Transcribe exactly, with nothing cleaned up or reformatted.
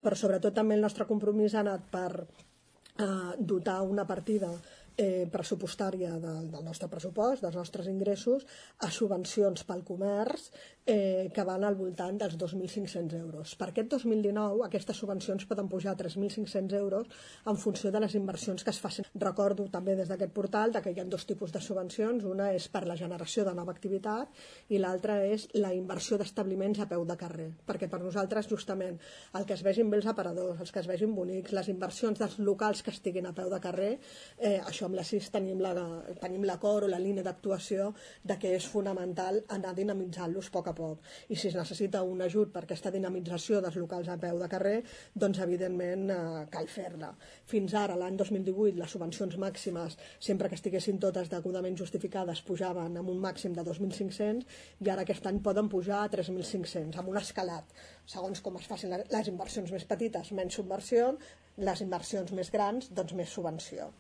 però sobretot també el nostre compromís ha anat per eh, dotar una partida eh, pressupostària del, del nostre pressupost, dels nostres ingressos, a subvencions pel comerç eh, que van al voltant dels dos mil cinc-cents euros. Per aquest dos mil dinou aquestes subvencions poden pujar a tres mil cinc-cents euros en funció de les inversions que es facin. Recordo també des d'aquest portal que hi ha dos tipus de subvencions, una és per la generació de nova activitat i l'altra és la inversió d'establiments a peu de carrer, perquè per nosaltres justament el que es vegin bé els aparadors, els que es vegin bonics, les inversions dels locals que estiguin a peu de carrer, eh, això amb la C I S tenim la, tenim l'acord o la línia d'actuació de que és fonamental anar dinamitzant-los a poc a poc. I si es necessita un ajut per aquesta dinamització dels locals a peu de carrer, doncs evidentment eh, cal fer-la. Fins ara, l'any dos mil divuit, les subvencions màximes, sempre que estiguessin totes degudament justificades, pujaven amb un màxim de dos mil cinc-cents i ara aquest any poden pujar a tres mil cinc-cents, amb un escalat. Segons com es facin les inversions més petites, menys subvenció, les inversions més grans, doncs més subvenció.